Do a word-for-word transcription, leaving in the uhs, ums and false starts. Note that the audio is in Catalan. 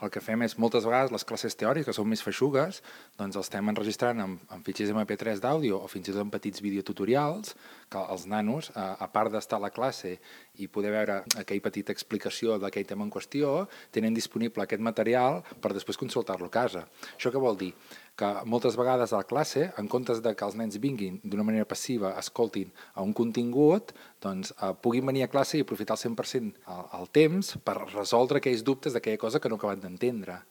el que fem és, moltes vegades, les classes teòriques, que són més feixugues, doncs els estem enregistrant en, en fitxers ema pe tres d'àudio o fins i tot en petits videotutorials, que els nanos, a, a part d'estar a la classe i poder veure aquella petita explicació d'aquell tema en qüestió, tenen disponible aquest material per després consultar-lo a casa. Això què vol dir? Que moltes vegades a la classe, en comptes de que els nens vinguin d'una manera passiva, escoltin a un contingut, doncs eh, puguin venir a classe i aprofitar al cent per cent el, el temps per resoldre aquells dubtes d'aquella cosa que no acaben d'entendre.